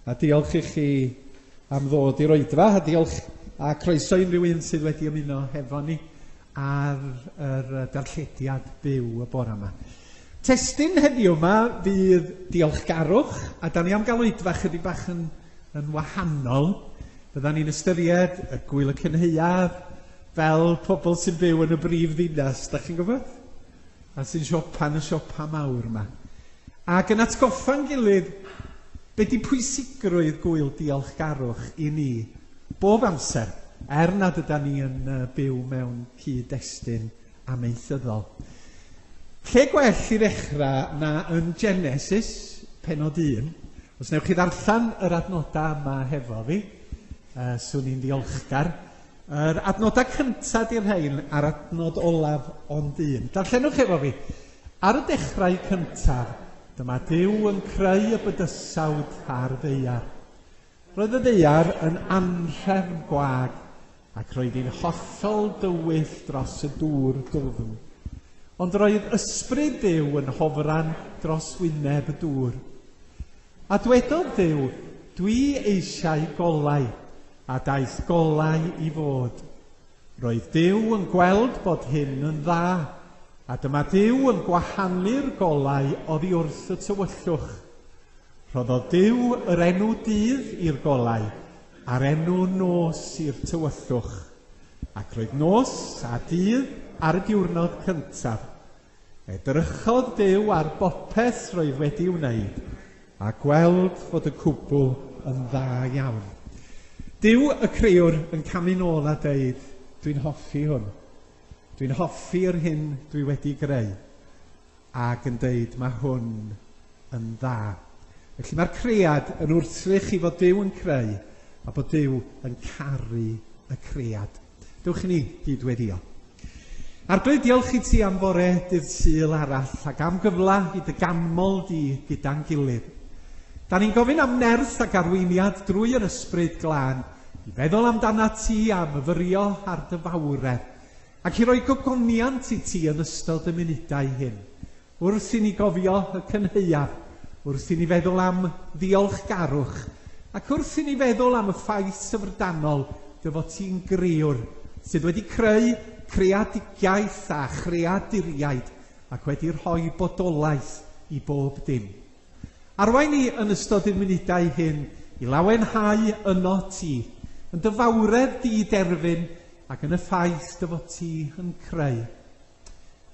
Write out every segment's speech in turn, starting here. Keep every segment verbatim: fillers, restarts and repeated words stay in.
A diolch i chi am ddod i'r oedfa, a diolch a croeso i unrhyw un sydd wedi ymuno hefo ni ar yr darllediad byw y bore yma. Testun heddiw yma fydd diolchgarwch, a da ni am gael oedfa chydig bach yn, yn wahanol. Byddan ni'n ystyried y Gwyl y Cynhaeaf fel pobl sy'n byw yn y brif ddinas, da chi'n gwybod? A sy'n siopa yn y siopa mawr yma. Ac yn atgoffa'n gilydd, be di pwysigrwydd gwyl diolchgarwch i ni bob amser, er nad yda ni yn byw mewn cyd-destun amaethyddol. Lle gwell i ddechrau na yn Genesis, penod un. Os newch chi ddarllen yr adnodau yma hefo fi, uh, swn i'n ddiolchgar. Yr adnodau cyntaf di'r rhain a'r adnod olaf ond un. Darllenwch efo fi. Ar y dechrau cyntaf, dyma Duw yn creu y bydysawd a'r ddaear. Roedd y ddaear yn anhrefn gwag ac roedd hi'n hollol dywyll dros y dŵr dwfn. Ond roedd ysbryd Duw yn hofran dros wyneb y dŵr. A dwedodd Duw, dwi eisiau golau, a daeth golau i fod. Roedd Duw yn gweld bod hyn yn dda, a dyma Duw yn gwahanu'r golau oddi wrth y tywyllwch. Rhoddodd Duw yr enw dydd i'r golau, a'r enw nos i'r tywyllwch. Ac roedd nos a dydd ar y diwrnod cyntaf. Edrychodd Duw ar bopeth roedd wedi wneud, a gweld fod y cwbl yn dda iawn. Duw y crëwr yn camu nôl a deud, dwi'n hoffi hwn. Dwi'n hoffi'r hyn dwi wedi greu. Ac yn deud, mae hwn yn dda. Felly mae'r cread yn wrthrych i fod Duw yn creu, a bod Duw yn caru y cread. Dewch i ni gyd weddio. Arglwydd, diolch i ti am fore dydd Sul arall ac am gyfle i dy ganmol di gyda'n gilydd. Da ni'n gofyn am nerth ac arweiniad drwy yr ysbryd glân i feddwl amdana ti a myfyrio ar dy fawredd ac i roi gogoniant i ti yn ystod y munudau hyn. Wrth i ni gofio y cynhaeaf, wrth i ni feddwl am ddiolchgarwch, ac wrth i ni feddwl am y ffaith syfrdanol dy fod ti'n grëwr sydd wedi creu creadigaeth a chreaduriaid ac wedi rhoi bodolaeth i bob dim. Arwain ni yn ystod y munudau hyn i lawenhau yno ti, yn dy fawredd di derfyn ac yn y ffaith dy fod ti yn creu.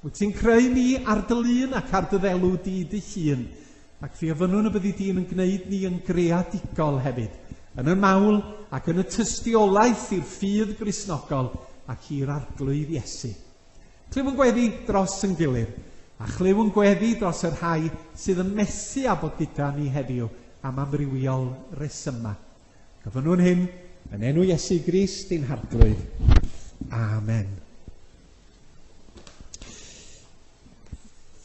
Wyt ti'n creu ni ar dy lun ac ar dy ddelw di dy hun, ac fi ofynnwn y byddi di'n yn gwneud ni yn greadigol hefyd, yn y mawl ac yn y tystiolaeth i'r ffydd Gristnogol ac i'r Arglwydd Iesu. Clyw yn gweddi dros yn gilydd, a chlyw yn gweddi dros y rhai sydd yn methu â bod gyda ni heddiw am amrywiol resyma. Gofynnwn hyn yn enw Iesu Grist ein Harglwydd. Amen.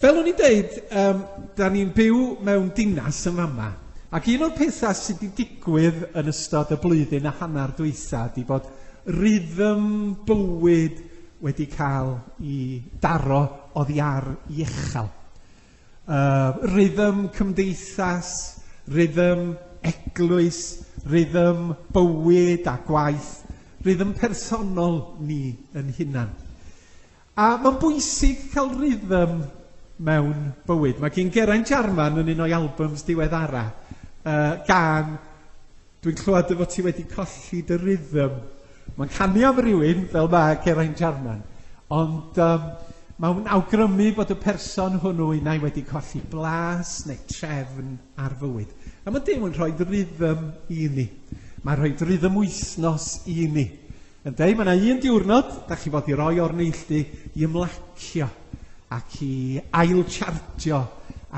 Fel o'n i'n deud, um, da ni'n byw mewn dinas yn fama, ac un o'r pethau sydd wedi digwydd yn ystod y blwyddyn a hanner dwytha ydy bod rhythm bywyd wedi cael ei daro oddi ar ei uchel. Uh, rhythm cymdeithas, rhythm eglwys, rhythm bywyd a gwaith, rhythm personol ni yn hunan. A mae'n bwysig cael rhythm mewn bywyd. Mae gen Geraint Jarman yn un o'i albums diweddara, uh, gan, dwi'n clywed dy fod ti wedi colli dy rhythm. Mae'n canu am rywun fel mae Geraint Jarman, ond um, mae'n awgrymu bod y person hwnnw unai wedi colli blas neu trefn ar fywyd. A mae Duw yn rhoi rhythm i ni. Mae'n rhoi rhythm wythnos i ni. Yn deud, mae yna un diwrnod, da chi fod i roi o'r neilltu i ymlacio ac i ail-chargio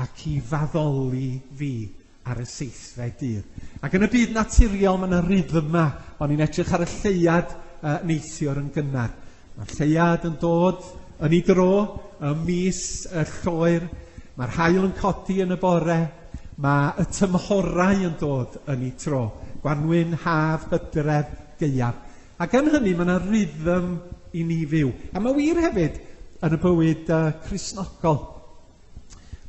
ac i faddoli fi ar y seithfed dydd. Ac yn y byd naturiol mae yna rhythma. O'n i'n edrych ar y lleuad uh, neithiwr yn gynnar. Mae'r lleuad yn dod yn ei dro ym mis y lloer. Mae'r haul yn codi yn y bore. Mae y tymhorau yn dod yn ei tro. Gwanwyn, haf, hydref, gaeaf. Ac yn hynny mae yna rhythm i ni fyw. A mae wir hefyd yn y bywyd uh, Cristnogol.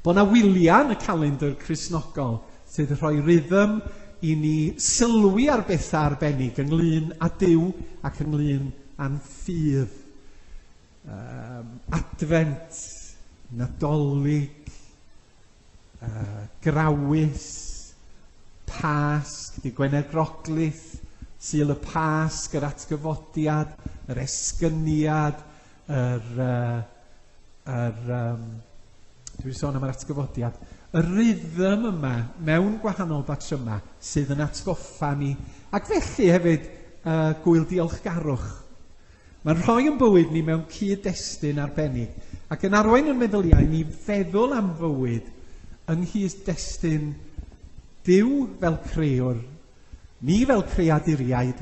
Bod yna wyliau yn y calendr Cristnogol sydd yn rhoi rhythm i ni sylwi ar bethau arbennig ynglyn â Duw ac ynglyn â'n ffydd. Um, Adfent, Nadolig, uh, Grawys, Pasg, Dydd Gwener Groglith, Sul y Pasg, yr atgyfodiad, yr esgyniad, yr, uh, yr, um, dwi'n sôn am yr atgyfodiad, y rhythm yma mewn gwahanol batryma sydd yn atgoffa ni, ac felly hefyd uh, gwyl diolchgarwch. Mae'n rhoi yn bywyd ni mewn cyd-destun arbennig ac yn arwain yn meddyliau ni feddwl am fywyd yng nghyd-destun Duw fel crëwr, ni fel creaduriaid,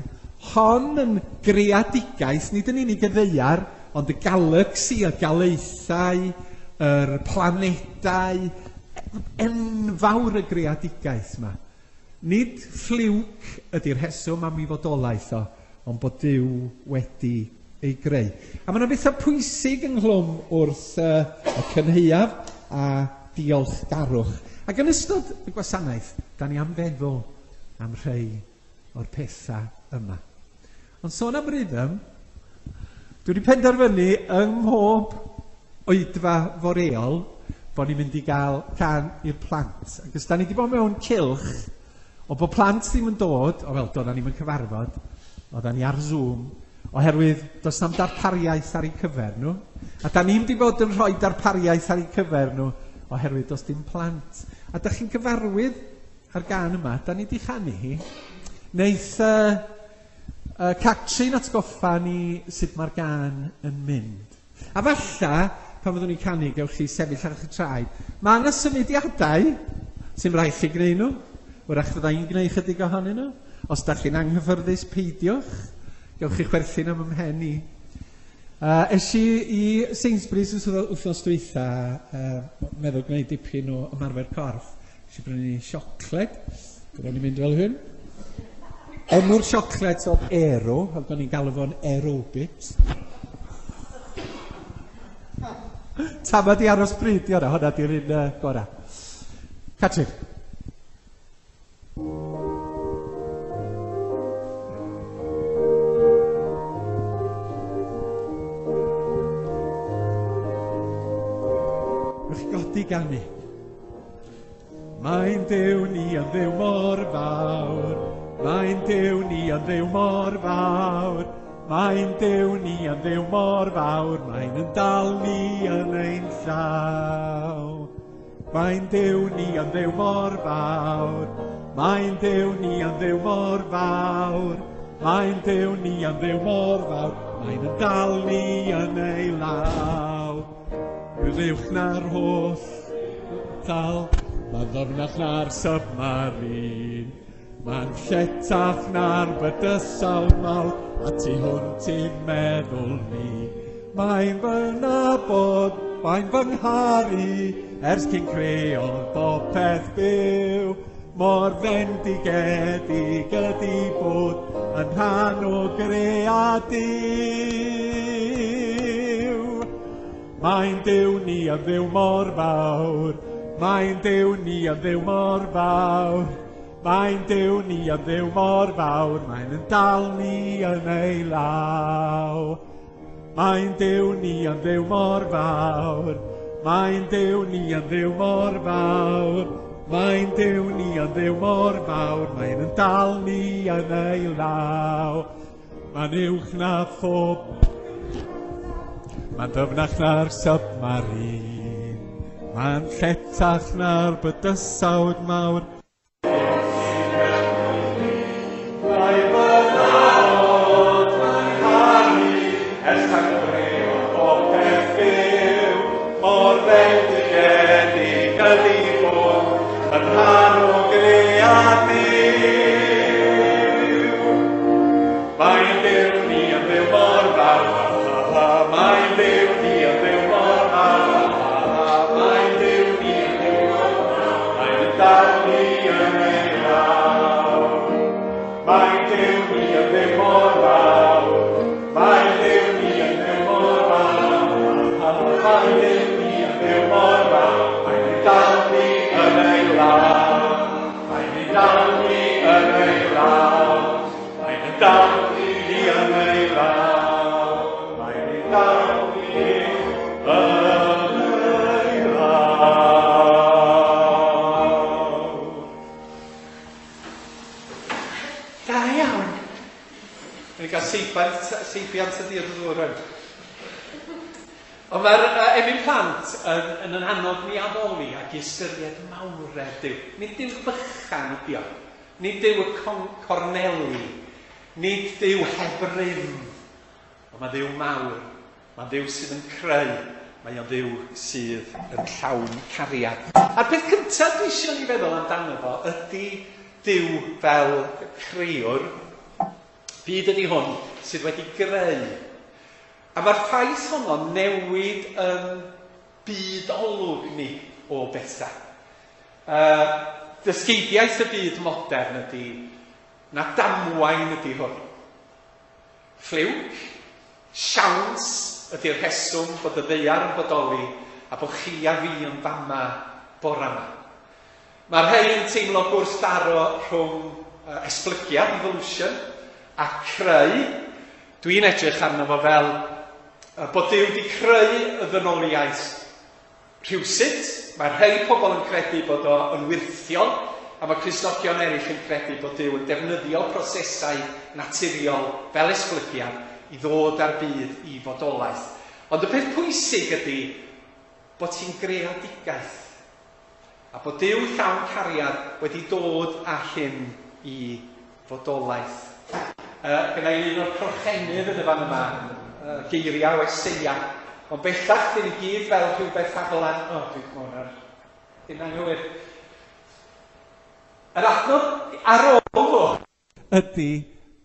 hon yn greadigaeth, nid yn unig y ddaear, ond y galaxy, y galaethau, yr planedau, enfawr y greadigaeth yma. Nid ffliwc ydy'r rheswm am ei fodolaeth o, ond bod Duw wedi ei greu. A mae yna bethau pwysig ynghlwm wrth uh, y cynhaeaf a diolchgarwch. Ac yn ystod y gwasanaeth, da ni am feddwl am rhai o'r pethau yma. Ond sôn am rhythm, dwi wedi penderfynu yng mhob oedfa foreol bod ni'n mynd i gael can i'r plant. Ac os da ni wedi bod mewn cylch o bod plant ddim yn dod, o fel doeddan ni'm yn cyfarfod, oeddan ni ar Zoom, oherwydd does na'm darpariaeth ar eu cyfer nhw. A da ni'm wedi bod yn rhoi darpariaeth ar eu cyfer nhw, oherwydd does dim plant. A da chi'n gyfarwydd ar gan yma, da ni wedi chanu hi. Neith uh, uh, Catrin atgoffa ni sut mae'r gan yn mynd. A falla, pan fyddwn ni'n canu, gewch chi sefyll ar eich traed. Mae yna symudiadau sy'n rhaid chi gwneud nhw. Wrach fydda i'n gwneud chydig ohonyn nhw. Os da chi'n anghyffyrddus, peidiwch. Gewch chi chwerthin am ymhen i. Uh, es i i Sainsbury's wythnos dwytha, uh, meddwl gwneud dipyn o ymarfer corff. Es i brynu siocled. Byddwn ni'n mynd fel hyn. Enw'r siocled oedd Aero, ac o'n i'n galw fo'n aerobics. Tamad i aros bryd di hwnna, hwnna di'r un uh, gorau. Catrin. Rwy'ch chi godi ganu. Mae'n Duw ni yn Dduw mor fawr, mae'n Duw ni yn Dduw mor fawr, mae'n Duw ni yn Dduw mor fawr, mae'n yn dal ni yn ein llaw. Mae'n Duw ni yn Dduw mor fawr, mae'n Duw ni yn Dduw mor fawr, mae'n Duw ni yn Dduw mor fawr, mae'n yn dal ni yn ei law. Rwy'n uwch na'r holl dal, mae'n ddyfnach na'r submarine, mae'n lletach na'r bydysawd mawr, a tu hwnt i'n meddwl ni. Mae'n fy nabod, mae'n fy ngharu, ers cyn creodd bopeth byw. Mor fendigedig ydi bod yn rhan o gread Duw. Mae'n Duw ni yn Dduw mor fawr, mae'n Duw ni yn Dduw mor fawr, mae'n Duw ni yn Dduw mor fawr, mae'n yn dal ni yn ei law. Mae'n Duw ni yn Dduw mor fawr, mae'n Duw ni yn Dduw mor fawr, mae'n Duw ni yn Dduw mor fawr, mae'n yn dal ni yn ei law. Mae'n uwch na phob, mae'n ddyfnach na'r submarine, mae'n lletach na'r bydysawd mawr. Mae fy nabod, mae'n caru, ers tan creodd bopeth byw, mor fendigedig ydi bod yn rhan o gread Duw. Mae'n Duw ni yn Dduw mor fawr, mae'n Duw ni yn Dduw mor fawr, mae'n Duw ni yn Dduw mor fawr, mae'n yn dal ni yn ei law. Mae'n Duw ni yn Dduw mor fawr, mae'n Duw ni yn Dduw mor fawr, mae'n Duw ni yn Dduw mor fawr, mae'n yn dal ni yn ei law. Mae'n yn dal ni yn Da iawn. Ni'n cael seibiant, seibiant y dydd ddŵr rwan. Ond mae'r uh, emyn plant yn, yn yn annog ni addoli ac i ystyried mawredd Duw. Nid Duw bychan ydi o. Nid Duw y corneli. Nid Duw heb rym. Ond mae Dduw mawr. Mae Dduw sydd yn creu. Mae o'n Dduw sydd yn llawn cariad. A'r peth cyntaf dwi eisiau ni feddwl amdano fo ydy Duw fel crëwr. Byd ydy hwn sydd wedi greu. A mae'r ffaith honno newid yn byd olwg ni o bethau. Uh, dysgeidiaeth y byd modern ydy na damwain ydy hwn. Ffliwc, siawns ydy'r rheswm bod y ddaear yn bodoli a bod chi a fi yn fama bora yma. Mae'r rhai yn teimlo gwrthdaro rhwng uh, esblygiad, evolution, a creu. Dwi'n edrych arno fo fel uh, bod Duw wedi creu y ddynoliaeth rhywsut. Mae rhai pobl yn credu bod o yn wyrthiol, a mae Cristnogion eraill yn credu bod Duw yn defnyddio prosesau naturiol fel esblygiad i ddod â'r byd i fodolaeth. Ond y peth pwysig ydy bod hi'n greadigaeth, a bod Duw llawn cariad wedi dod â hyn i fodolaeth. Uh, Gynna i un o'r crochenydd yn y fan yma, uh, geiriau o Eseia. Ond bellach, dyn ni gyd fel rhywbeth aflan. O, oh, dwi'n gwybod ar hyn anghywir. Yr adnod ar ôl fo ydy,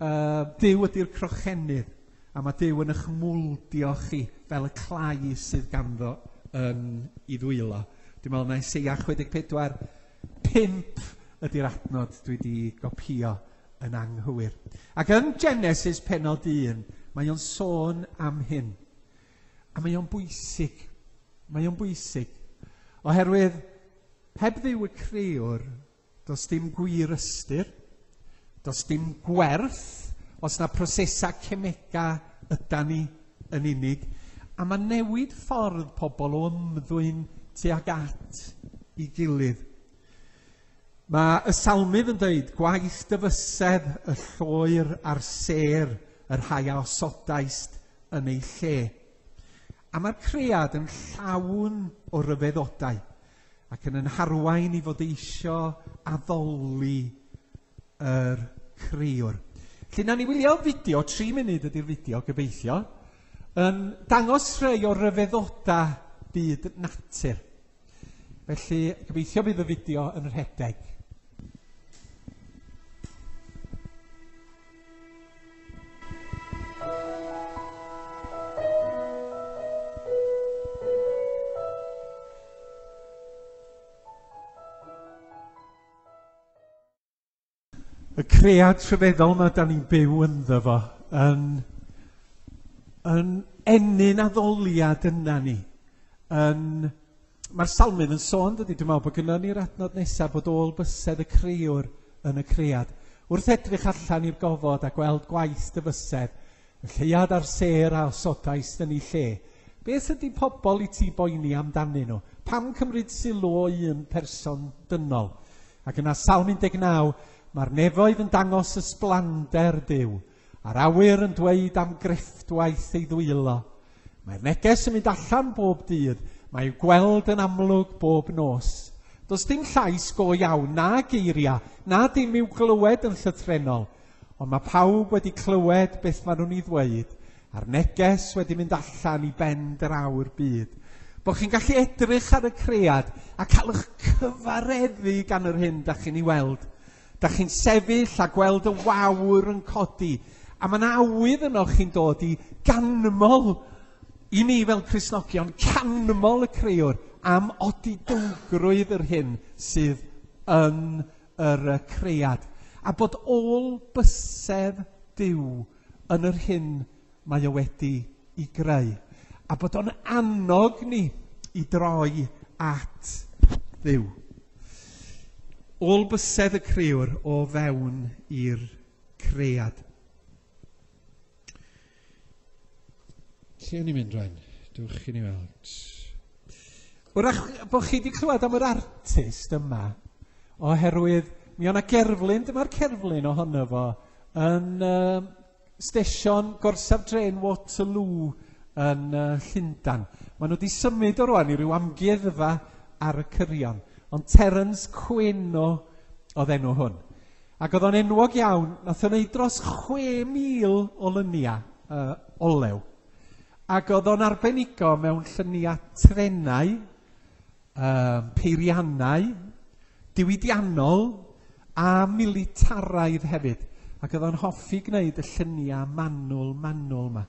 uh, Duw ydy'r crochenydd, a mae Duw yn eich mwldio chi fel y clai sydd ganddo yn ei ddwylo. Dwi'n meddwl na Eseia chwe deg pedwar, pump ydy'r adnod dwi wedi gopio yn anghywir. Ac yn Genesis pennod un, mae o'n sôn am hyn. A mae o'n bwysig. Mae o'n bwysig. Oherwydd, heb Dduw y crëwr, does dim gwir ystyr, does dim gwerth, os na prosesau cemega ydan ni yn unig. A mae newid ffordd pobl o ymddwyn tuag at ei gilydd. Mae y salmydd yn dweud, gwaith dy fysedd y lloer a'r sêr, y rhai a osodaist yn ei lle. A mae'r cread yn llawn o ryfeddodau ac yn yn harwain i fod eisio addoli yr crëwr. Felly, nawn ni wylio fideo, tri munud ydy'r fideo, gobeithio, yn dangos rhai o ryfeddodau byd natur. Felly, gobeithio bydd y fideo yn rhedeg. Y cread rhyfeddol yma da ni'n byw ynddo fo yn, yn ennyn addoliad yna ni. Yn, mae'r salmydd yn sôn, dydy, dwi'n meddwl bod gynnon ni'r adnod nesaf bod ôl bysedd y crëwr yn y cread. Wrth edrych allan i'r gofod a gweld gwaith dy fysedd, y lleuad a'r sêr a osodaist yn ei lle. Beth ydy pobl i ti boeni amdanyn nhw? Pam cymryd sylw o un person dynol? Ac yna Salm un deg naw, mae'r nefoedd yn dangos ysblander Duw, a'r awyr yn dweud am grefftwaith ei ddwylo. Mae'r neges yn mynd allan bob dydd, mae i'w gweld yn amlwg bob nos. Does dim llais go iawn, na geiriau, na dim i'w glywed yn llythrennol, ond mae pawb wedi clywed beth maen nhw'n ei ddweud, a'r neges wedi mynd allan i ben draw'r byd. Bod chi'n gallu edrych ar y cread a cael eich cyfareddu gan yr hyn da chi'n ei weld. Da chi'n sefyll a gweld y wawr yn codi, a mae yna awydd yno chi'n dod i ganmol i ni fel Cristnogion, canmol y crëwr am odidowgrwydd yr hyn sydd yn yr cread. A bod ôl bysedd Duw yn yr hyn mae o wedi i greu. A bod o'n annog ni i droi at Dduw. Ôl bysedd y crëwr o fewn i'r cread. Lle o'n i'n mynd rwan? Dewch i ni weld. Wrach bod chi wedi clywed am yr artist yma, oherwydd mi o'na gerflun, dyma'r cerflun ohono fo yn uh, stesion gorsaf dren Waterloo yn uh, Llundain. Maen nhw wedi symud o rwan i ryw amgueddfa ar y cyrion. Ond Terence Queno oedd enw hwn. Ac oedd o'n enwog iawn, nath o'n neud dros chwe mil o lyniau uh, olew. Ac oedd o'n arbenigo mewn lluniau trenau, um, peiriannau, diwydiannol a militaraidd hefyd. Ac oedd o'n hoffi gwneud y lluniau manwl, manwl yma.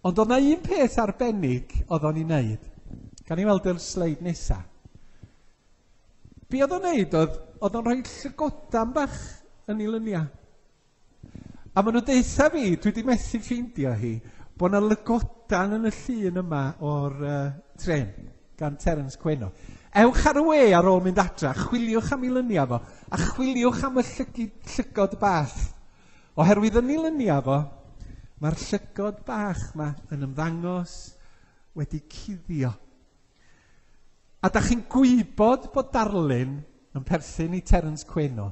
Ond oedd 'na un peth arbennig oedd o'n ei wneud. Gan i weld yr sleid nesaf. Be oedd o'n wneud oedd, oedd o'n rhoi llygodan bach yn ei lyniau. A maen nhw'n deutha fi, dwi wedi methu ffeindio hi, bod 'na lygodan yn y llun yma o'r uh, tren gan Terence Queno. Ewch ar y we ar ôl mynd adra, chwiliwch am ei lyniau fo, a chwiliwch am y llygid, llygod bach. Oherwydd yn ei lyniau fo, mae'r llygod bach yma yn ymddangos wedi cuddio. A da chi'n gwybod bod darlun yn perthyn i Terence Queno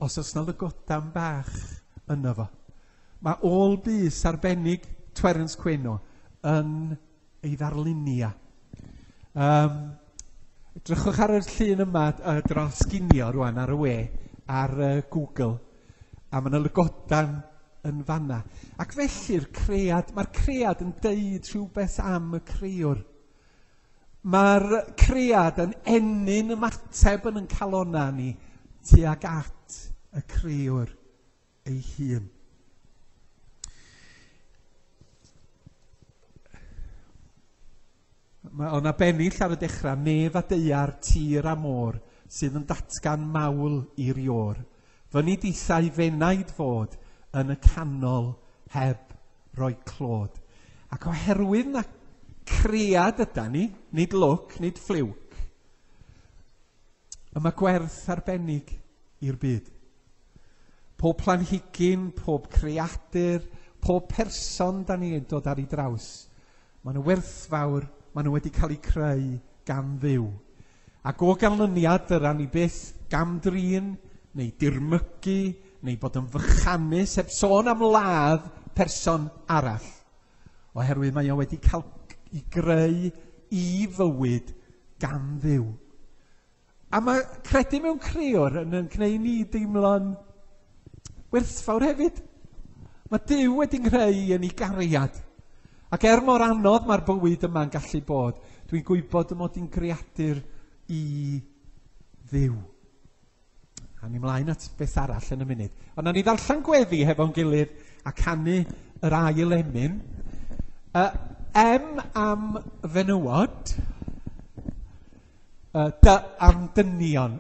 os oes 'na lygodan bach yno fo. Mae ôl bys arbennig Terence Queno yn ei ddarlunia. Um, edrychwch ar y llun yma uh, dros ginio rwan ar y we, ar uh, Google, a mae yna lygodan yn fanna. Ac felly'r cread, mae'r cread yn deud rhywbeth am y crëwr. Mae'r cread yn ennyn ymateb yn ein calona ni tuag at y crëwr ei hun. Mae o'na bennill ar y dechrau, nef a daear, tir a môr, sydd yn datgan mawl i'r iôr. Fyny dithau fenaid fod yn y canol heb roi clod. Ac oherwydd na cread yda ni, nid lwc, nid ffliwc, y mae gwerth arbennig i'r byd. Pob planhigyn, pob creadur, pob person da ni'n dod ar ei draws, maen nhw werthfawr, maen nhw wedi cael eu creu gan Dduw. Ac o ganlyniad dyra ni byth gamdrin, neu dirmygu, neu bod yn fychanus, heb sôn am ladd person arall. Oherwydd mae o wedi cael ei greu i fywyd gan Dduw. A mae credu mewn crëwr yn, yn gwneud ni deimlo'n werthfawr hefyd. Mae Duw wedi nghreu yn ei gariad. Ac er mor anodd mae'r bywyd yma'n gallu bod, dwi'n gwybod y mod i'n greadur i Dduw. A ni mlaen at beth arall yn y munud. Ond nawn ni ddarllen gweddi hefo'n gilydd a canu yr ail emyn. Uh, M am fenywod, uh, D am dynion.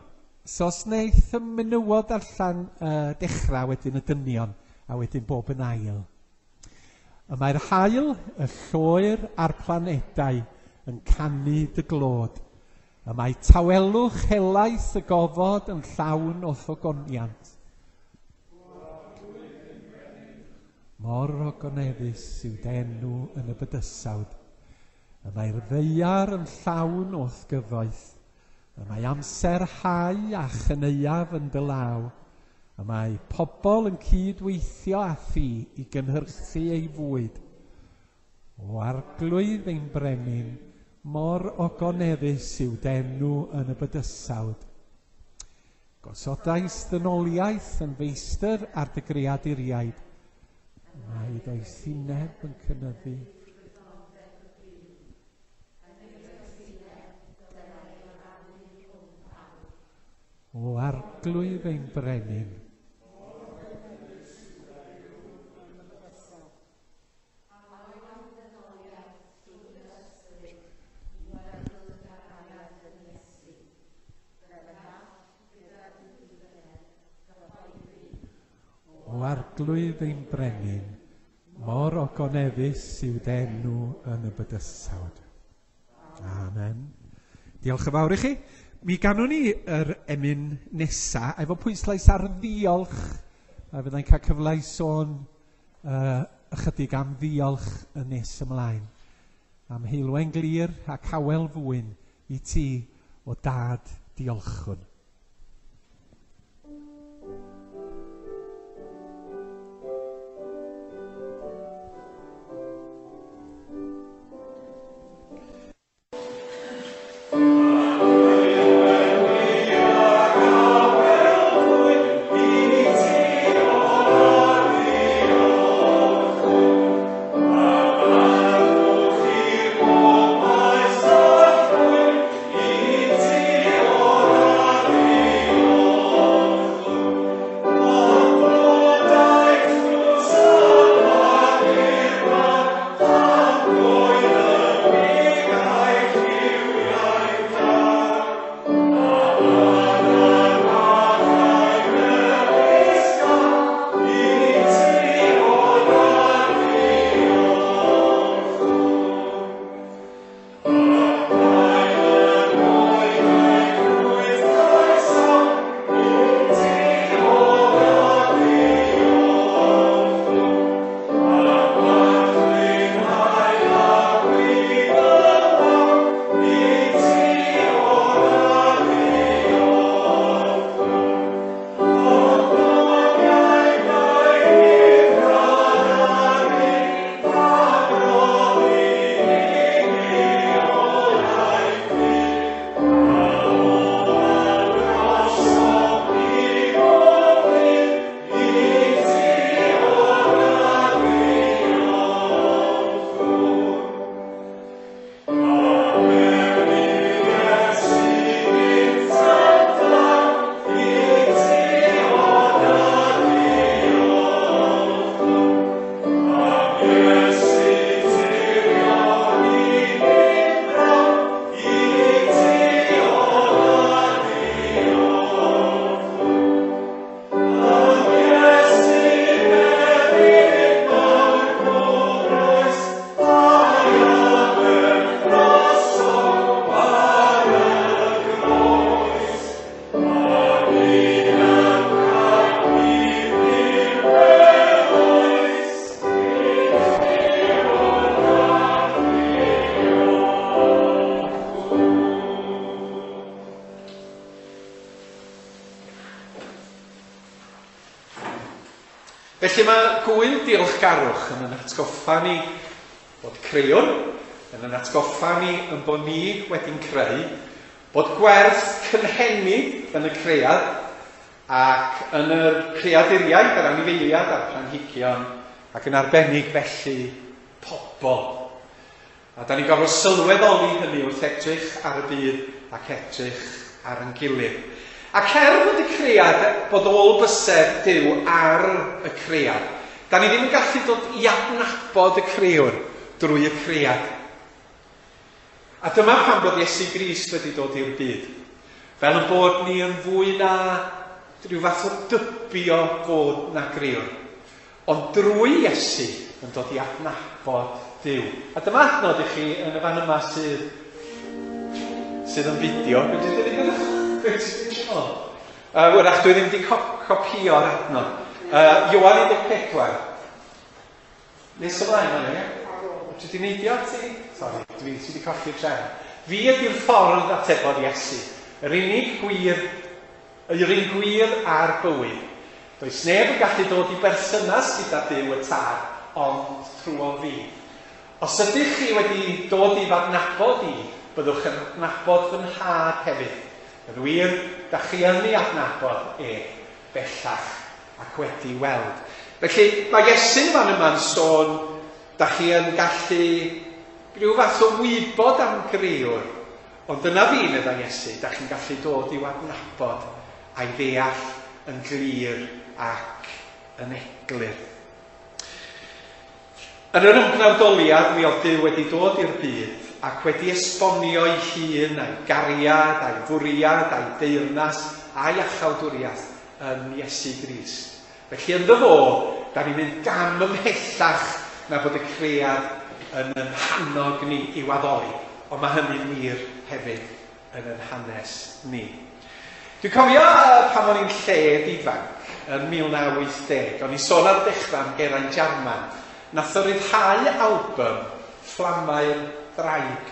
So os wneith y menywod allan uh, dechrau wedyn y dynion, a wedyn bob yn ail. Y mae'r haul, y lloer a'r planedau yn canu dy glod. Y mae tawelwch helaeth y gofod yn llawn o ogoniant. Mor ogoneddus yw dy enw yn y bydysawd. Y mae'r ddaear yn llawn o'th gyfoeth. Y mae amser hau a chyneuaf yn dy law. Y mae pobl yn cydweithio â thi i gynhyrchu ei fwyd. O Arglwydd ein brenin, mor ogoneddus yw dy enw yn y bydysawd. Gosodais ddynoliaeth yn feistr ar dy greaduriaid. Mae doethineb yn cynyddu. O Arglwydd ein brenin, O Arglwydd ein brenin, mor ogoneddus yw dy enw yn y bydysawd. Amen. Diolch yn fawr i chi. Mi ganwn ni yr emyn nesa efo pwyslais ar ddiolch. A fyddai'n cael cyfle i sôn uh, ychydig am ddiolch yn nes ymlaen. Am heulwen glir ac awel fwyn i ti o dad diolchwn. Felly mae gwyl diolchgarwch yn yn atgoffa ni bod creuwr, yn yn atgoffa ni yn bod ni wedi'n creu, bod gwerth cynhenid yn y cread ac yn yr creaduriaid, yr anifeiliad a'r planhigion, ac yn arbennig felly pobl. A da ni'n gorfod sylweddoli hynny wrth edrych ar y byd ac edrych ar ein gilydd. Ac er fod y cread, bod ôl bysedd Duw ar y cread, da ni ddim yn gallu dod i adnabod y crëwr drwy y cread. A dyma pam bod Iesu Grist wedi dod i'r byd. Fel yn bod ni yn fwy na rhyw fath o dybio fod na grëwr. Ond drwy Iesu yn dod i adnabod Duw. A dyma adnod i chi yn y fan yma sydd, sydd yn fideo. Be ti'n dweud? Be ti'n dweud? Uh, wrach, dwi ddim wedi copio'r adnod. Uh, Ioan un deg pedwar. Nes ymlaen o'n ie? Ti wedi neidio ti? Sori, dwi ti wedi colli'r trefn. Fi ydy'r ffordd, atebodd Iesu. Yr unig gwir, yr un gwir a'r bywyd. Does neb yn gallu dod i berthynas gyda Duw y Tad, ond trwy fi. Os ydych chi wedi dod i f'adnabod i, byddwch yn adnabod fy nhad hefyd. Yn wir, da chi yn ei adnabod e bellach ac wedi weld. Felly, mae Iesu'n fan yma'n sôn, da chi yn gallu rhyw fath o wybod am grëwr, ond dyna fi, meddai Iesu, da chi'n gallu dod i'w adnabod a'i ddeall yn glir ac yn eglur. Yn yr ymgnawdoliad, mi oedd Duw wedi dod i'r byd ac wedi esbonio ei hun a'i gariad, a'i fwriad, a'i deyrnas, a'i iachawdwriaeth yn Iesu Grist. Felly ynddo fo, da ni'n mynd gam ymhellach na bod y cread yn yn hannog ni i'w addoli. Ond mae hynny'n wir hefyd yn yn hanes ni. Dwi'n cofio uh, pan o'n i'n lled ifanc yn mil naw wyth deg, o'n i'n sôn ar dechrau am Geraint Jarman. Nath o ryddhau album Fflamau'r Ddraig.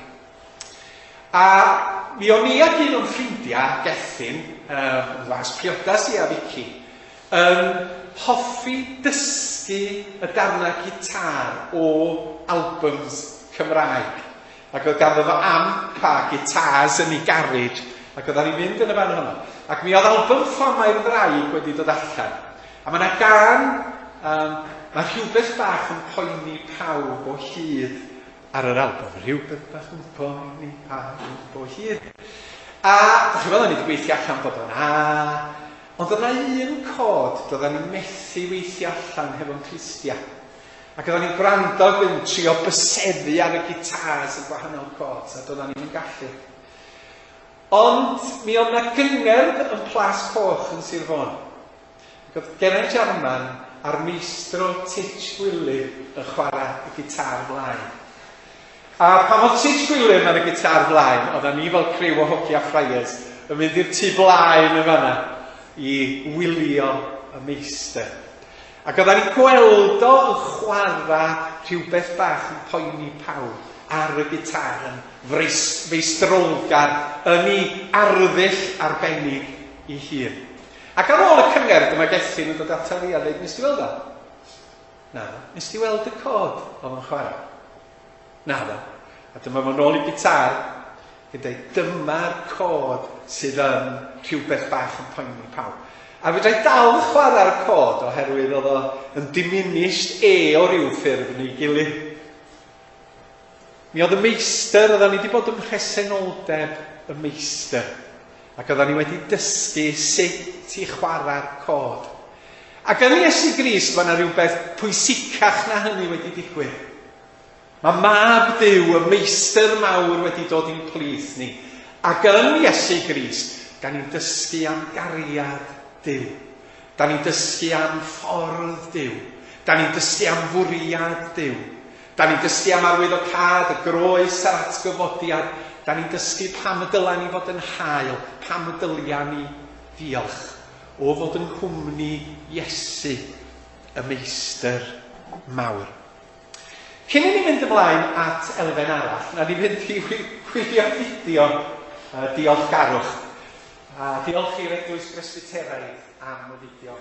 A mi o'n i ac un o'n ffrindiau, Gethin, um, was priodas i a Vicky, yn hoffi dysgu y darnau gitar o albums Cymraeg. Ac oedd ganddo fo amp a gitars yn ei garej, ac oeddan ni'n mynd yn y fan honno. Ac mi oedd album Fflamau'r Ddraig wedi dod allan. A mae yna gan, um, mae rhywbeth bach yn poeni pawb o hyd ar yr album. Rhywbeth bach yn poeni pawb o hyd. A, dach chi'n meddwl, ni wedi gweithio allan bod o'n a, ond oedd yna un cod doeddan ni'n methu weithio allan hefo'n clustia. Ac oeddan ni'n gwrando yn trio byseddu ar y gitars y gwahanol cods, a doeddan ni'n gallu. Ond mi oedd yna gyngerdd yn Plas Coch yn Sir Fôn. Ac oedd Geraint Jarman a'r meistro Titch Gwilym yn chwarae y gitar flaen. A pan oedd Titch Gwilym ar y gitar flaen, oeddan ni fel criw o hogia friars yn mynd i'r tu blaen yn fanna i wylio y meistr. Ac oeddan ni'n gweld o yn chwarae rhywbeth bach yn poeni pawb ar y gitar yn feistrolgar yn ei arddull arbennig ei hun. Ac ar ôl y cyngerdd, dyma Gethin yn dod ata fi a dweud, nes ti weld o? Na, nes ti weld y cod oedd yn chwarae? Na, ddo. A dyma fo'n ôl i gitar, yn dweud, dyma'r cod sydd yn rhywbeth bach yn poeni pawb. A fedra i dal chwarae'r cod oherwydd oedd o yn diminished e o ryw ffurf neu gilydd. Mi oedd y meistr, oeddan ni wedi bod ym mhresenoldeb y meistr. Ac oeddan ni wedi dysgu sut i chwarae'r cod. Ac yn Iesu Grist, mae yna rhywbeth pwysicach na hynny wedi digwydd. Mae mab Duw, y meistr mawr, wedi dod i'n plith ni. Ac yn Iesu Grist, da ni'n dysgu am gariad Duw. Da ni'n dysgu am ffordd Duw. Da ni'n dysgu am fwriad Duw. Da ni'n dysgu am arwyddocâd, y groes a'r atgyfodiad. Da ni'n dysgu pam y dyla ni fod yn hael, pam y dylia ni ddiolch o fod yng nghwmni Iesu, y meistr mawr. Cyn i ni fynd ymlaen at elfen arall, na ni fynd i wylio fideo uh, diolchgarwch. A diolch i'r Eglwys Bresbyteraidd am y fideo.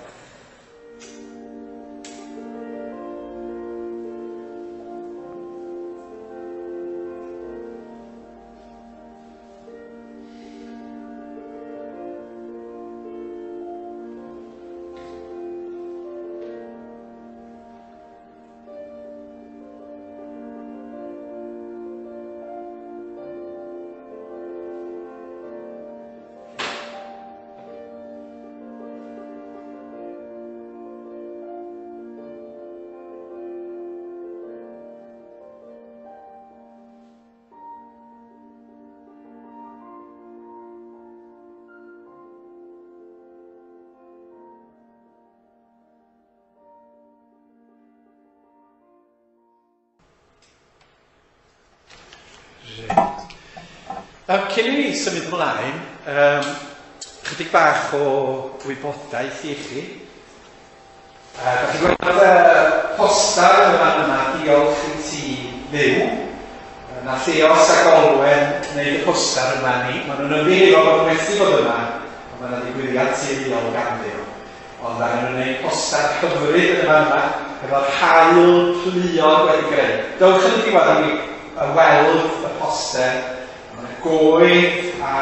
Reit. Um, cyn i ni symud ymlaen, um, chydig bach o wybodaeth i chi. Uh, da chi'n gweld y postar yn y fan yma, "Diolch i ti Dduw". Uh, na Lleos ac Olwen wneud y postar yma ni. Maen nhw'n ymddiheuro bod nhw methu bod yma, ond mae yna ddigwyddiad teuluol ganddyn nhw. Ond angen nhw'n gwneud postar hyfryd yn y fan yma, efo'r haul pluog wedi greu. Dewch yn y diwedd i ni weld y poster. Mae yna goed a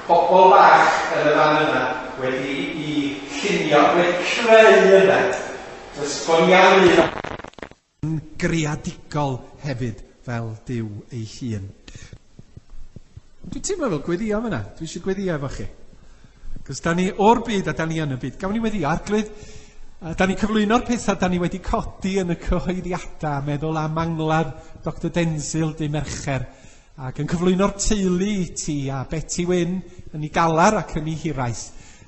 bobl bach yn y fan yma wedi i llunio, wedi creu yna. Does bod ni am un greadigol hefyd fel Duw ei hun. Dwi'n teimlo fel gweddio fyna. Dwi eisiau gweddio efo chi. Cos da ni o'r byd a da ni yn y byd. Gawn ni weddio, Arglwydd, da ni'n cyflwyno'r pethau da ni wedi codi yn y cyhoeddiadau, meddwl am angladd Doctor Denzil dy Mercher, ac yn cyflwyno'r teulu i ti a Betty Wyn yn ei galar ac yn ei hiraeth.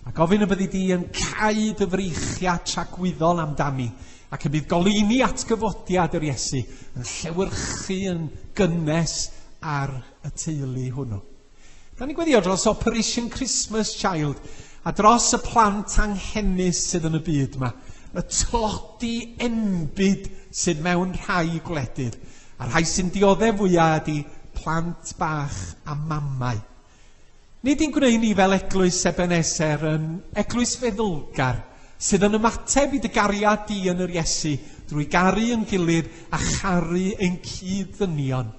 A gofyn y byddi di yn cau dy freichiau tragwyddol amdani, ac y bydd goleuni atgyfodiad yr Iesu yn llewyrchu yn gynnes ar y teulu hwnnw. Da ni'n gweddio dros Operation Christmas Child a dros y plant anghenus sydd yn y byd yma, y tlodi enbyd sydd mewn rhai gwledydd, a rhai sy'n dioddef fwyaf ydy plant bach a mamau. Nid i'n gwneud ni fel eglwys Ebenezer yn eglwys feddylgar sydd yn ymateb i dy gariad di yn yr Iesu drwy garu yn gilydd a charu ein cyd-ddynion,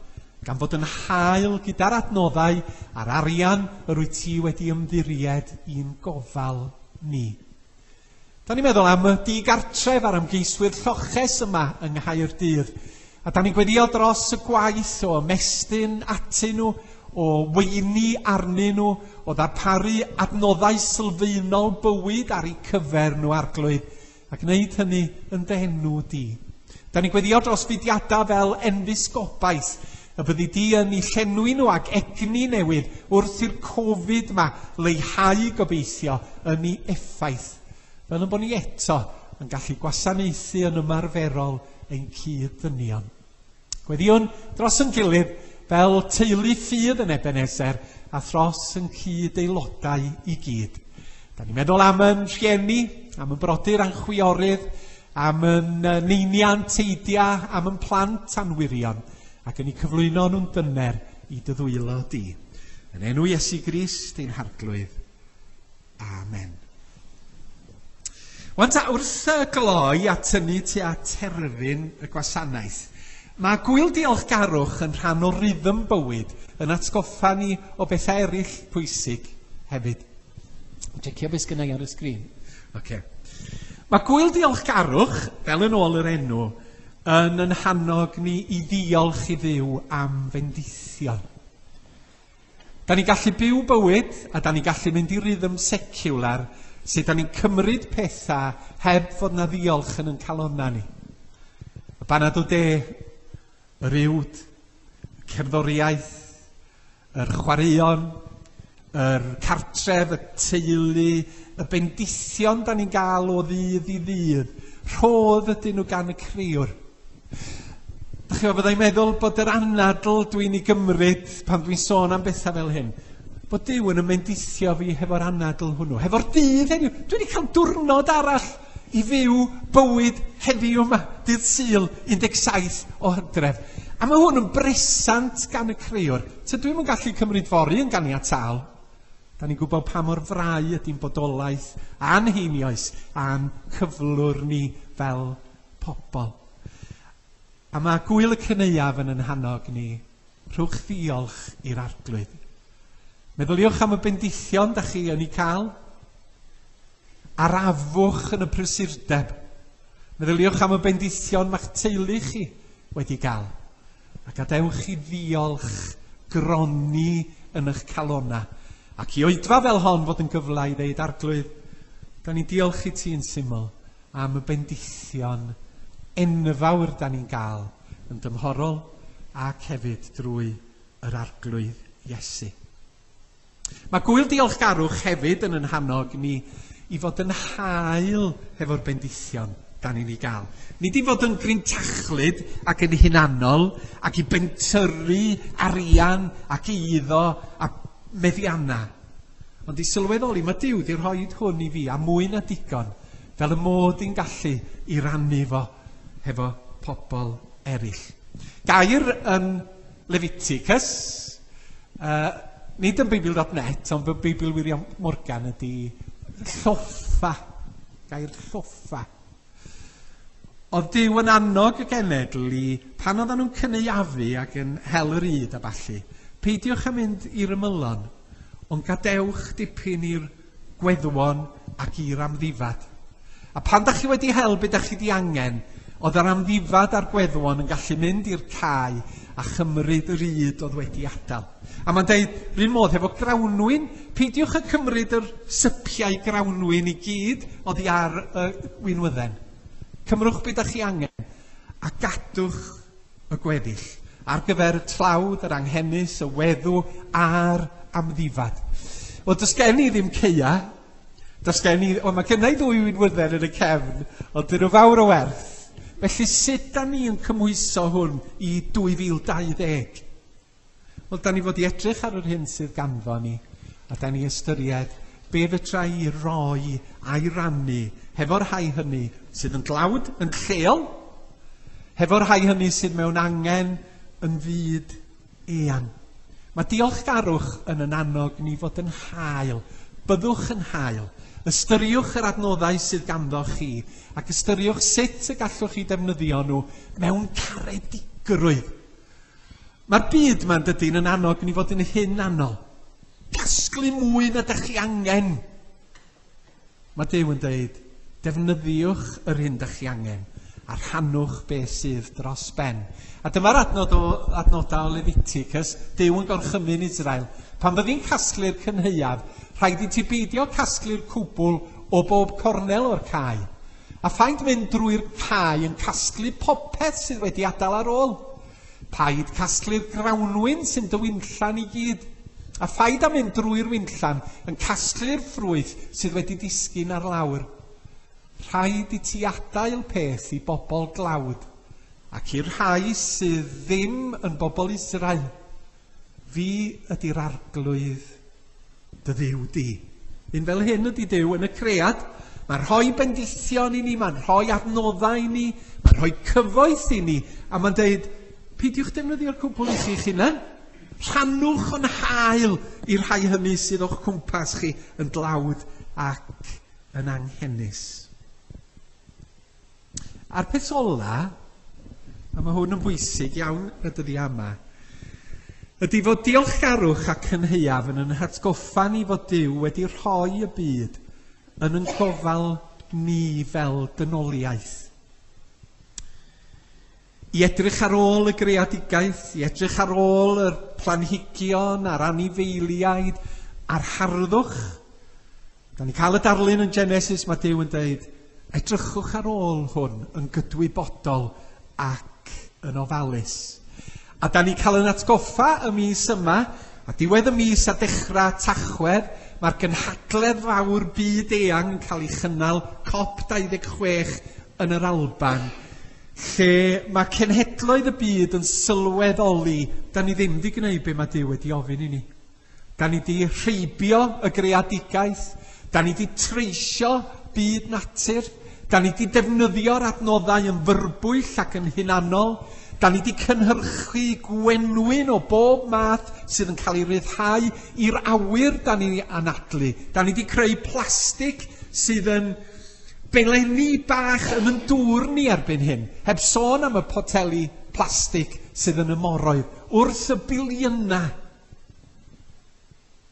gan fod yn hael gyda'r adnoddau a'r arian yr wyt ti wedi ymddiried i'n gofal ni. Da ni'n meddwl am y digartref a'r ymgeiswyr lloches yma yng Nghaerdydd. A da ni'n gweddio dros y gwaith o ymestyn atyn nhw, o weini arnyn nhw, o ddarparu adnoddau sylfaenol bywyd ar eu cyfer nhw, Arglwydd, a gwneud hynny yn dy enw di. Da ni'n gweddio dros fudiadau fel Enfys Gobaith, y byddi di yn eu llenwi nhw ag egni newydd wrth i'r Covid yma leihau gobeithio yn ei effaith, fel yn bod ni eto yn gallu gwasanaethu yn ymarferol ein cyd-ddynion. Gweddiwn dros yn gilydd fel teulu ffydd yn Ebenezer a thros yn cyd-aelodau i gyd. Da ni'n meddwl am yn rhieni, am yn brodyr a'n chwiorydd, am yn neinian teidia, am yn plant a'n wyrion, ac yn eu cyflwyno nhw'n dyner i dy ddwylo di. Yn enw Iesu Grist ein Harglwydd. Amen. Wan ta, wrth y gloi a tynnu tua terfyn y gwasanaeth, mae gwyl diolchgarwch yn rhan o rhythm bywyd yn atgoffa ni o bethau eraill pwysig hefyd. Checio beth sgynna i ar y sgrin. Okay. Mae gwyl diolchgarwch, fel yn ôl yr enw, yn yn hannog ni i ddiolch i Dduw am fendithion. Da ni'n gallu byw bywyd a da ni'n gallu mynd i rhythm seciwlar sut da ni'n cymryd pethau heb fod na ddiolch yn yn calonna ni. Y banad o de, yr uwd, y cerddoriaeth, yr chwaraeon, yr cartref, y teulu, y bendithion da ni'n gael o ddydd i ddydd, rhodd ydyn nhw gan y Crëwr. Dach chi'n byddai'n meddwl bod yr anadl dwi'n ei gymryd pan dwi'n sôn am bethau fel hyn, bod Duw yn ymendithio fi hefo'r anadl hwnnw, hefo'r dydd heddiw. Dwi wedi cael diwrnod arall i fyw bywyd heddiw yma, dydd Sul, un deg saith o Hydref. A mae hwn yn bresant gan y Crëwr. Tydw i'm yn gallu cymryd fory yn ganiataol. Da ni'n gwybod pa mor frau ydy'n bodolaeth a'n heinioes a'n cyflwr ni fel pobl. A mae gwyl y cynaeaf yn yn hannog ni, rhowch ddiolch i'r Arglwydd. Meddyliwch am y bendithion da chi yn ei cael. Arafwch yn y prysurdeb. Meddyliwch am y bendithion ma'ch teulu chi wedi gael. A gadewch i ddiolch gronni yn eich calonna. Ac i oedfa fel hon fod yn gyfle i ddeud, Arglwydd, da ni'n diolch i ti yn syml am y bendithion enfawr da ni'n gael yn dymhorol ac hefyd drwy yr Arglwydd Iesu. Mae gwyl diolchgarwch hefyd yn yn hannog ni i fod yn hael hefo'r bendithion. da ni'n ei gael. Nid i fod yn grintachlyd ac yn hunanol ac i bentyrru arian ac eiddo a meddianna. Ond i sylweddoli, mae Duw wedi rhoi hwn i fi a mwy na digon, fel y mod i'n gallu i rannu fo hefo pobl eraill. Gair yn Leviticus, uh, nid yn Beibl dot net, ond yn Beibl William Morgan ydy lloffa, gair lloffa. Oedd Duw yn annog y genedl i, pan oedden nhw'n cynaeafu ac yn hel yr ŷd a ballu, peidiwch â mynd i'r ymylon, ond gadewch dipyn i'r gweddwon ac i'r amddifad. A pan dach chi wedi hel be dach chi di angen, oedd yr amddifad a'r gweddwon yn gallu mynd i'r cae a chymryd yr ŷd oedd wedi adael. A mae'n deud, rhywun modd hefo grawnwin, peidiwch â cymryd yr sypiau grawnwin i gyd oddi ar y winwydden. Cymrwch be dach chi angen a gadwch y gweddill ar gyfer y tlawd, yr anghenus, y weddw a'r amddifad. Wel, does gen i ddim ceia, does gen i, wel, mae gen i ddwy winwydden yn y cefn, ond dyn nhw fawr o werth. Felly sut da ni yn cymhwyso hwn i dwy fil dau ddeg? Wel, da ni fod i edrych ar yr hyn sydd ganddo ni, a da ni ystyried be fedra i roi a'i rannu hefo'r rhai hynny sydd yn dlawd, yn lleol, hefo'r rhai hynny sydd mewn angen yn fyd eang. Mae diolchgarwch yn yn annog ni fod yn hael. Byddwch yn hael. Ystyriwch yr adnoddau sydd ganddo chi ac ystyriwch sut y gallwch chi defnyddio nhw mewn caredigrwydd. Mae'r byd ma'n dydyn yn annog ni fod yn hunanol. Casglu mwy na dych chi angen. Mae Duw yn deud, defnyddiwch yr hyn dych chi angen a rhannwch beth sydd dros ben. A dyma'r adnod o, adnodau o Leviticus, Duw yn gorchymyn Israel. Pan fyddi'n casglu'r cynhaeaf, rhaid i ti beidio casglu'r cwbl o bob cornel o'r cae. A phaid mynd drwy'r cae yn casglu popeth sydd wedi adael ar ôl. Paid casglu'r grawnwin sy'n dy winllan i gyd. A phaid â mynd drwy'r winllan yn casglu'r ffrwyth sydd wedi disgyn ar lawr. Rhaid i ti adael peth i bobl glawd, ac i'r rhai sydd ddim yn bobl Israel. Fi ydy'r arglwydd dy Dduw di. Un fel hyn ydy Duw yn y cread. Mae'n rhoi bendithion i ni, mae'n rhoi adnoddau i ni, mae'n rhoi cyfoeth i ni, a mae'n deud, peidiwch defnyddio'r cwbl i chi'ch hunan. Rhannwch yn hael i'r rhai hynny sydd o'ch cwmpas chi yn dlawd ac yn anghenus. A'r peth ola, a mae hwn yn bwysig iawn y dyddiau yma, ydy fod diolchgarwch a cynhaeaf yn yn hatgoffa ni fod Duw wedi rhoi y byd yn yn gofal ni fel dynoliaeth. I edrych ar ôl y greadigaeth, i edrych ar ôl yr planhigion a'r anifeiliaid a'r harddwch. Da ni cael y darlun yn Genesis, mae Duw yn deud, edrychwch ar ôl hwn yn gydwybodol ac yn ofalus. A da ni cael yn atgoffa y mis yma, a diwedd y mis a dechrau Tachwedd, mae'r gynhadledd fawr byd eang yn cael ei chynnal COP dau ddeg chwech yn yr Alban, lle mae cenhedloedd y byd yn sylweddoli, da ni ddim wedi gwneud be mae Duw wedi ofyn i ni. Da ni wedi rheibio y greadigaeth, da ni wedi treisio byd natur, da ni wedi defnyddio'r adnoddau yn fyrbwyll ac yn hunanol, da ni wedi cynhyrchu gwenwyn o bob math sydd yn cael ei ryddhau i'r awyr da ni anadlu. Da ni wedi creu plastig sydd yn belenni bach yn yn dŵr ni erbyn hyn, heb sôn am y poteli plastig sydd yn y moroedd, wrth y biliynau.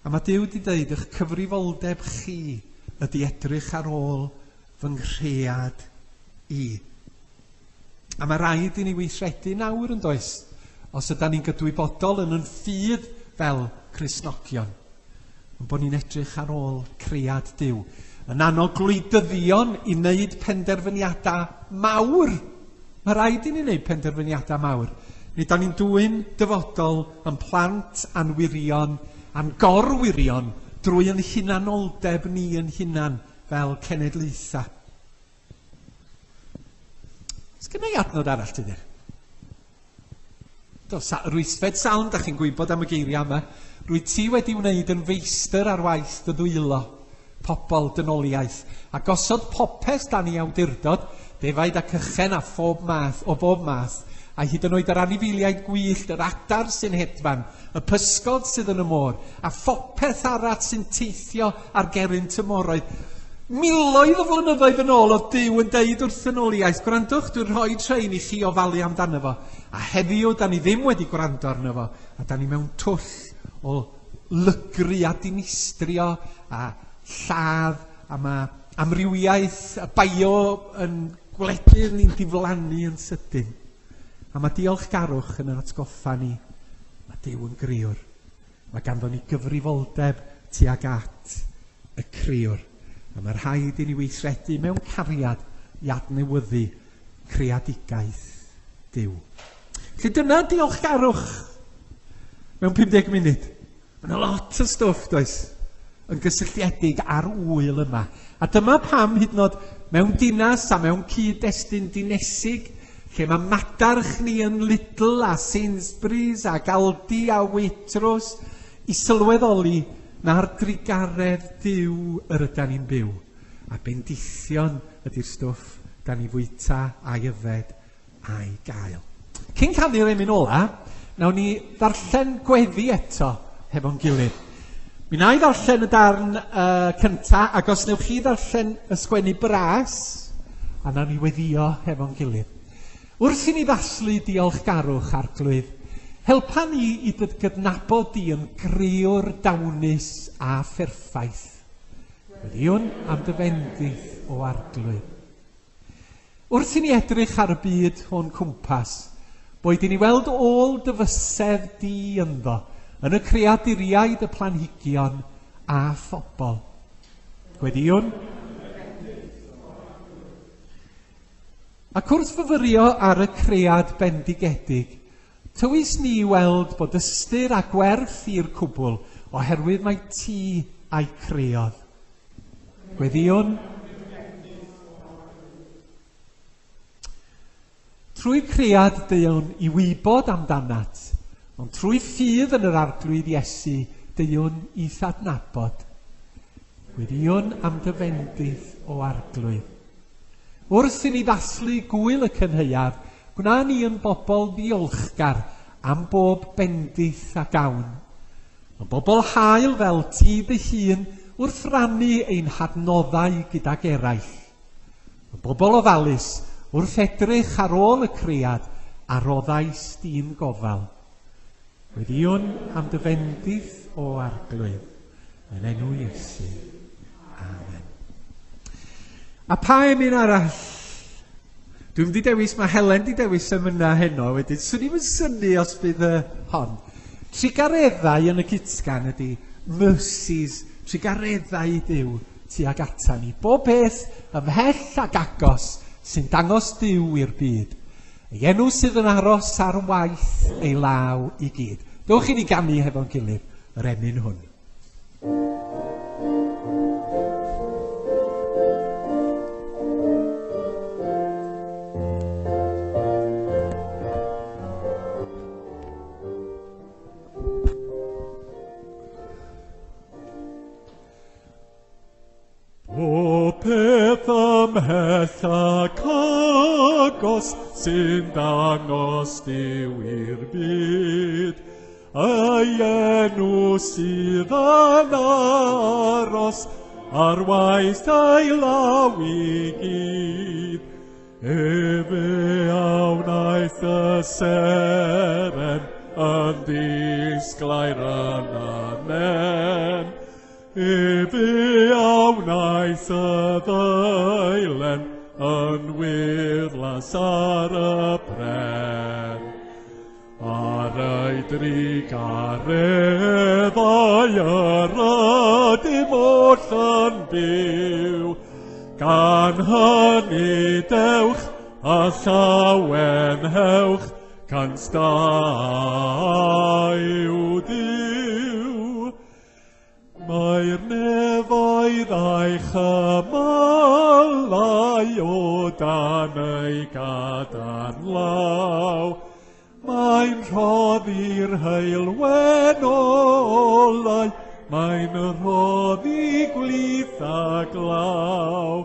A mae Duw wedi dweud, eich cyfrifoldeb chi ydy edrych ar ôl fy nghread i. A mae rhaid i ni weithredu nawr yn does, os ydan ni'n gydwybodol yn yn ffydd fel Cristnogion, ond bod ni'n edrych ar ôl cread Duw. Yn annog gwleidyddion i wneud penderfyniadau mawr. Mae rhaid i ni wneud penderfyniadau mawr. Nid da ni'n dwyn dyfodol yn plant a'n wirion, a'n gorwirion, drwy yn hunanoldeb ni yn hunan fel cenedlaethau. Sgynna i adnod arall, Tudur? Do, sa, rwysfed salm, da chi'n gwybod am y geiriau yma. Rwy ti wedi wneud yn feistr ar waith dy ddwylo, pobl dynoliaeth, a gosod popeth dan ei awdurdod, defaid ac ychen a phob math, o bob math, a hyd yn oed yr anifeiliaid gwyllt, yr adar sy'n hedfan, y pysgod sydd yn y môr, a phopeth arall sy'n teithio ar geryn tymoroedd. Miloedd o flynyddoedd yn ôl oedd Duw yn deud wrth ddynoliaeth, gwrandwch, dwi'n rhoi trein i chi ofalu amdano fo. A heddiw, da ni ddim wedi gwrando arno fo, a da ni mewn twll o lygru a dinistrio a lladd, a mae amrywiaeth a bio yn gwledydd ni'n diflannu yn sydyn. A mae diolchgarwch yn yr atgoffa ni, mae Duw yn griwr. Mae ganddo ni gyfrifoldeb tuag at y criwr. A mae rhaid i ni weithredu mewn cariad i adnewyddu creadigaeth Duw. Felly dyna diolchgarwch mewn pum deg munud. Mae yna lot o stwff, does, yn gysylltiedig â'r ŵyl yma. A dyma pam hyd yn oed mewn dinas a mewn cyd-destun dinesig, lle mae madarch ni yn Lidl a Sainsbury's ac Aldi a Waitrose, i sylweddoli na'r drugaredd Duw yr ydan ni'n byw. A bendithion ydy'r stwff da ni fwyta a'i yfed a'i gael. Cyn canu'r emyn ola, nawn ni ddarllen gweddi eto hefo'n gilydd. Mi wna i ddarllen y darn uh, cynta, ac os newch chi ddarllen y sgwennu bras, a nawn ni weddio hefo'n gilydd. Wrth i ni ddathlu diolchgarwch, Arglwydd, helpa ni i dy gydnabod di yn griwr dawnus a pherffaith. Gweddiwn am dy fendith o Arglwydd. Wrth i ni edrych ar y byd o'n cwmpas, boed i ni weld ôl dy fysedd di ynddo, yn y creaduriaid, y planhigion a phobl. Gweddiwn. Ac wrth fyfyrio ar y cread bendigedig, tywys ni weld bod ystyr a gwerth i'r cwbl, oherwydd mae ti a'i creodd. Gweddiwn. Trwy cread deuwn i wybod amdanat, ond trwy ffydd yn yr Arglwydd Iesu deuwn i'th adnabod. Gweddiwn am dy fendith o Arglwydd. Wrth i ni ddathlu gŵyl y cynhaeaf, gwna ni yn bobl ddiolchgar am bob bendith a gawn. Yn bobl hael fel ti dy hun wrth rannu ein hadnoddau gydag eraill. Yn bobl ofalus wrth edrych ar ôl y cread a roddais di'n gofal. Gweddiwn am dy fendith o Arglwydd, yn enw Iesu. Amen. A pa emyn arall? Dwi'n mynd i dewis, mae Helen di dewis emynau heno wedyn. Swn i'm yn synnu os bydd y hon. Trugareddau yn y cytgan ydy mercies, trugareddau Duw tuag ata ni. Bob peth ymhell ac agos sy'n dangos Duw i'r byd. Ei enw sydd yn aros ar waith ei law i gyd. Dewch i ni ganu hefo'n gilydd yr emyn hwn. Ymhell ac agos sy'n dangos Duw i'r byd, ei enw sydd yn aros ar waith ei law i gyd. Efe a wnaeth y seren yn ddisglair yn anen, efe a wnaeth y ddeilen yn wyrddlas ar y pren. Ar ei drugareddau yr ydym oll yn byw, gan hynny dewch a llawenhewch, cant da yw Duw. Mae'r nefoedd a'i chymylau o dan ei gadarn law. Mae'n rhoddi'r heulwen olau, mae'n rhoddi gwlith a glaw.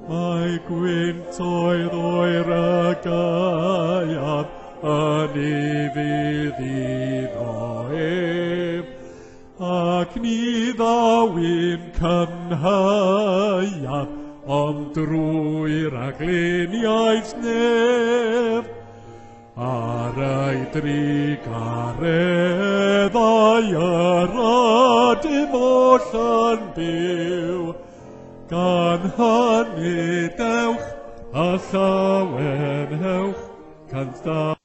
Mae gwyntoedd oer y gaeaf yn ufudd iddo ef, ac ni ddaw'n cynhaeaf, ond drwy ragluniaeth nef. Ar ei drugareddau yr ydym oll yn byw, gan hynny dewch a llawenhewch, cant dau.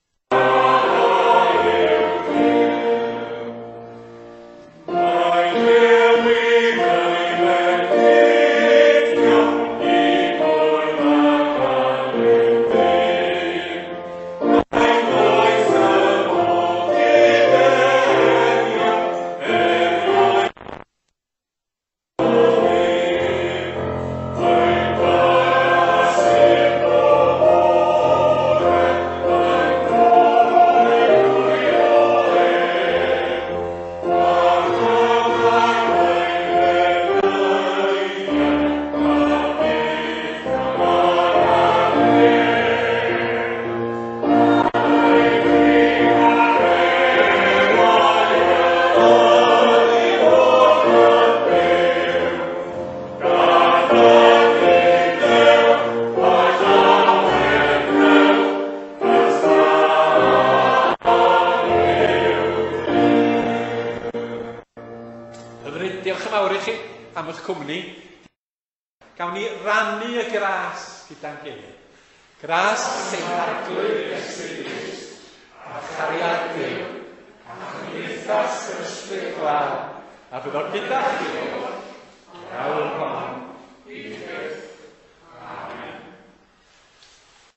Diolch yn fawr i chi am eich cwmni. Gawn ni rannu y gras gyda'n gilydd. Gras ein Harglwydd Iesu Grist, a chariad Duw, a chymdeithas yr Ysbryd Glân, a fyddo gyda chi. Awr hon.